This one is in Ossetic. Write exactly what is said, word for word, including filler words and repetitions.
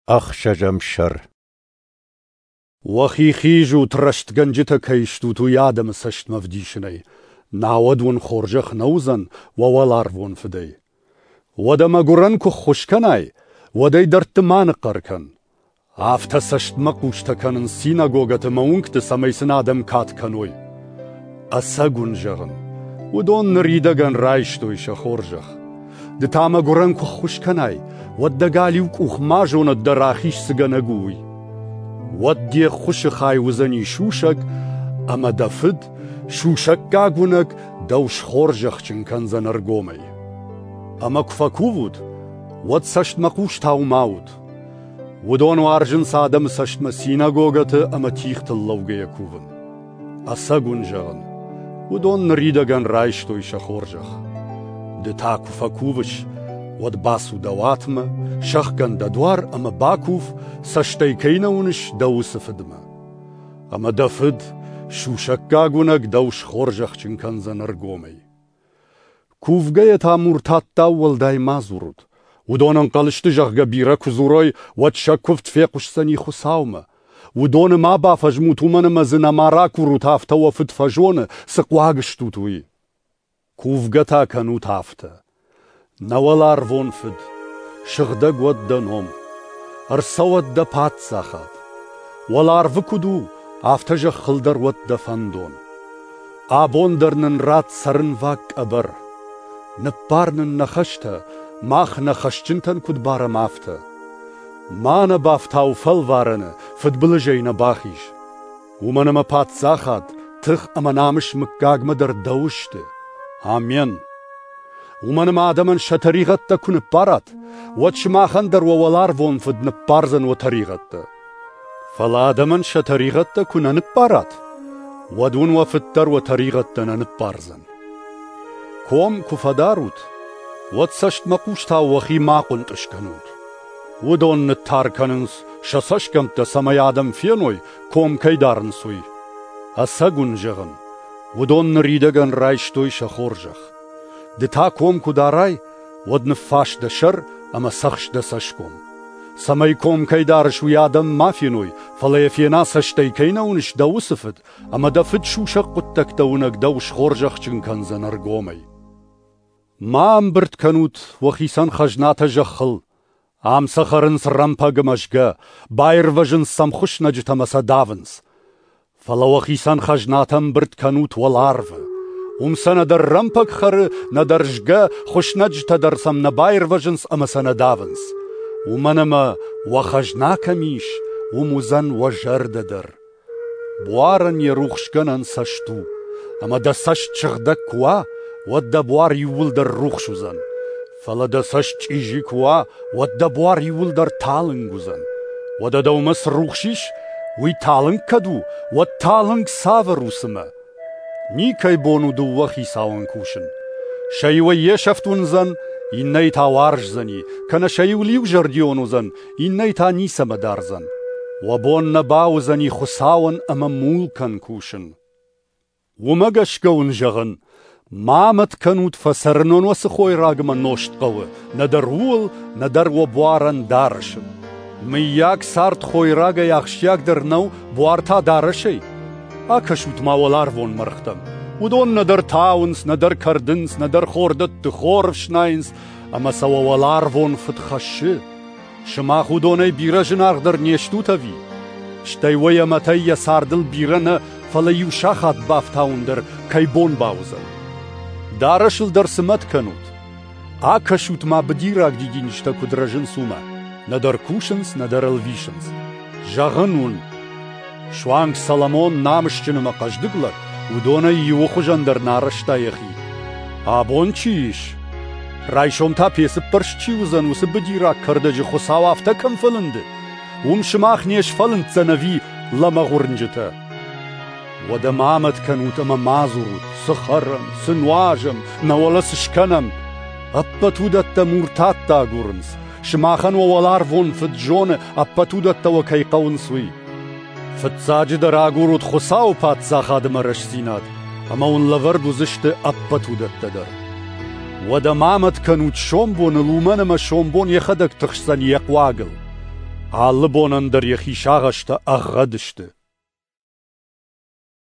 Ӕхсӕзӕм сӕр. Уӕхи хизут, рӕстгӕнджытӕ кӕй стут, уый адӕмы цӕстмӕ вдисынӕй, науӕд уын хорзӕх нӕ уыдзӕн уӕ уӕларвон Фыдӕй. Уӕдӕ мӕгуырӕн куы ххуыс кӕнай, уӕд ӕй дӕрдты ма ныхъхъӕр кӕн. Афтӕ цӕстмӕхъустӕ кӕнынц синагогӕты мӕ уынгты, цӕмӕй сын адӕм кад кӕной. Ӕцӕг уын зӕгъын, уыдон ныридӕгӕн райстой сӕ хорзӕх. Ды та мӕгуырӕн куы ххуыс кӕнай, уӕд дӕ галиу къух ма зонӕд дӕ рахиз цы гӕнӕг у, уый. Уӕд де ххуысы хай уыдзӕни сусӕг, ӕмӕ дӕ фыд, сусӕггаг уынӕг, дӕу схорзӕхджын кӕндзӕн ӕргомӕй. Ӕмӕ куы фӕкувут, уӕд цӕстмӕхъустау ма ут. Уыдон уарзынц адӕмы цӕстмӕ синагогӕты ӕмӕ тигътыл лӕугӕйӕ кувын. Ӕцӕг уын зӕгъын, уыдон ныридӕгӕн райстой сӕ хорзӕх. Ды та куы фӕкувыс, уӕд бацу дӕ уатмӕ, сӕхгӕн дӕ дуар ӕмӕ бакув, цӕстӕй кӕй нӕ уыныс, дӕ уыцы фыдмӕ. Ӕмӕ дӕ фыд, сусӕггаг уынӕг, дӕу схорзӕхджын кӕндзӕн ӕргомӕй. Кувгӕйӕ та муртаттау уӕлдай ма дзурут. Уыдон ӕнхъӕл сты, зӕгъгӕ, бирӕ куы дзурой, уӕд сӕ куывд фехъуысдзӕни Хуыцаумӕ. Уыдоны ма бафӕзмут, уымӕн ӕмӕ дзы нӕма ракурут, афтӕ уӕ фыд фӕзоны, цы хъуаг стут, уый. Кувгӕ та кӕнут афтӕ: Нӕ уӕларвон Фыд, сыгъдӕг уӕд дӕ ном, ӕрцӕуӕд дӕ паддзахад. Уӕларвы куыд у, афтӕ зӕххыл дӕр уӕд дӕ фӕндон. Абон дӕр нын ратт цӕрынваг къӕбӕр. Ныппар нын нӕ хӕстӕ, мах нӕ хӕсджынтӕн куыд барӕм, афтӕ. Ма нӕ бафтау фӕлварӕны, фыдбылызӕй нӕ бахиз. Уымӕн ӕмӕ паддзахад, тых ӕмӕ намыс мыггагмӕ дӕр дӕу сты. Амен. Уымӕн ӕмӕ адӕмӕн сӕ тӕригъӕдтӕ куы ныппарат, уӕд сымахӕн дӕр уӕ уӕларвон Фыд ныппардзӕн уӕ тӕригъӕдтӕ. Фӕлӕ адӕмӕн сӕ тӕригъӕдтӕ куы нӕ ныппарат, уӕд уын уӕ Фыд дӕр уӕ тӕригъӕдтӕ нӕ ныппардзӕн. Ком куы фӕдарут, уӕд цӕстмӕхъустау уӕхи ма хъуынтъыз кӕнут. Уыдон ныттар кӕнынц сӕ цӕсгӕмттӕ, цӕмӕй адӕм феной, ком кӕй дарынц, уый. Ӕцӕг уын зӕгъын, уыдон ныридӕгӕн райстой сӕ хорзӕх. Ды та ком куы дарай, уӕд ныффас дӕ сӕр ӕмӕ цӕхс дӕ цӕсгом. Цӕмӕй ком кӕй дарыс, уый адӕм ма феной, фӕлӕ йӕ фена, цӕстӕй кӕй нӕ уыныс, дӕ уыцы фыд, ӕмӕ дӕ фыд сусӕг хъуыддӕгтӕ уынӕг дӕу схорзӕхджын кӕндзӕн ӕргомӕй. Ма ӕмбырд кӕнут уӕхицӕн хӕзнатӕ зӕххыл. Ам сӕ хӕрынц рӕмпӕг ӕмӕ згӕ, баирвӕзынц сӕм хуыснӕджытӕ ӕмӕ сӕ давынц. Фӕлӕ уӕхицӕн хӕзнатӕ ӕмбырд кӕнут уӕларвы. Уым сӕ нӕдӕр рӕмпӕг хӕры, нӕдӕр згӕ, хуыснӕджытӕ дӕр сӕм нӕ баирвӕзынц ӕмӕ сӕ нӕ давынц. Уымӕн ӕмӕ уӕ хӕзна кӕм ис, уым уыдзӕн уӕ зӕрдӕ дӕр. Буарӕн йӕ рухсгӕнӕн цӕст у, ӕмӕ дӕ цӕст сыгъдӕг куы уа, уӕд дӕ буар иууылдӕр рухс уыдзӕн. Фӕлӕ дӕ цӕст чъизи куы уа, уӕд дӕ буар иууылдӕр талынг уыдзӕн. Уӕдӕ дӕумӕ цы рухс ис, уый талынг кӕд у, уӕд талынг цавӕр у цымӕ? Никӕй бон у дыууӕ хицауӕн кусын. Сӕ иуӕй йе сӕфт уындзӕн, иннӕйы та уарздзӕни, кӕнӕ сӕ иуыл иузӕрдион уыдзӕн, иннӕйы та ницӕмӕ дардзӕн. Уӕ бон нӕ бауыдзӕни Хуыцауӕн ӕмӕ мулкӕн кусын. Уымӕ гӕсгӕ уын зӕгъын, ма мӕт кӕнут, фӕцӕрынон уӕ цы хойраг ӕмӕ нозт хъӕуы, нӕдӕр ууыл, нӕдӕр уӕ буарӕн дарӕсыл. Мыййаг цард хойрагӕй ахсджиагдӕр нӕу, буар та дарӕсӕй? Акӕсут ма уӕларвон мӕргътӕм. Уыдон нӕдӕр тауынц, нӕдӕр кӕрдынц, нӕдӕр хордӕтты хор ӕфснайынц, ӕмӕ сӕ уӕ уӕларвон Фыд хӕссы. Сымах уыдонӕй бирӕ зынаргъдӕр не стут ӕви? Стӕй уӕ йӕ мӕтӕй йӕ цардыл бирӕ нӕ, фӕлӕ иу сахат бафтауын дӕр кӕй бон бауыдзӕн. Дарӕсыл дӕр цы мӕт кӕнут? Акӕсут ма быдираг дидинджытӕ куыд рӕзынц, уымӕ. Нӕдӕр кусынц, нӕдӕр ӕлвисынц. Зӕгъын уын, суанг Соломон намысджын ӕмӕ хъӕздыг лӕг, уыдонӕй иуы хуызӕн дӕр нӕ арӕзта йӕхи. Абон чи ис, райсом та пецы ппӕрст чи уыдзӕн, уыцы быдираг кӕрдӕджы Хуыцау афтӕ кӕм фӕлынды, уым сымах не сфӕлынддзӕн ӕви лӕмӕгъ уырнджытӕ? Уӕдӕ ма мӕт кӕнут ӕмӕ ма дзурут, цы хӕрӕм, цы нуазӕм, нӕ уӕлӕ цы скӕнӕм. Ӕппӕт уыдӕттӕ муртаттӕ агурынц. Сымахӕн уӕ уӕларвон Фыд зоны, ӕппӕт уыдӕттӕ уӕ кӕй хъӕуынц, уый. Фыццаджыдӕр агурут Хуыцауы паддзахад ӕмӕ рӕстдзинад, ӕмӕ уын лӕвӕрд уыдзысты ӕппӕт уыдӕттӕ дӕр. Уӕдӕ ма мӕт кӕнут сомбоныл, уымӕн ӕмӕ сомбон йӕхӕдӕг тыхсдзӕн йӕ хъуагыл. Алы бонӕн дӕр йӕхи сагъӕстӕ ӕгъгъӕд сты.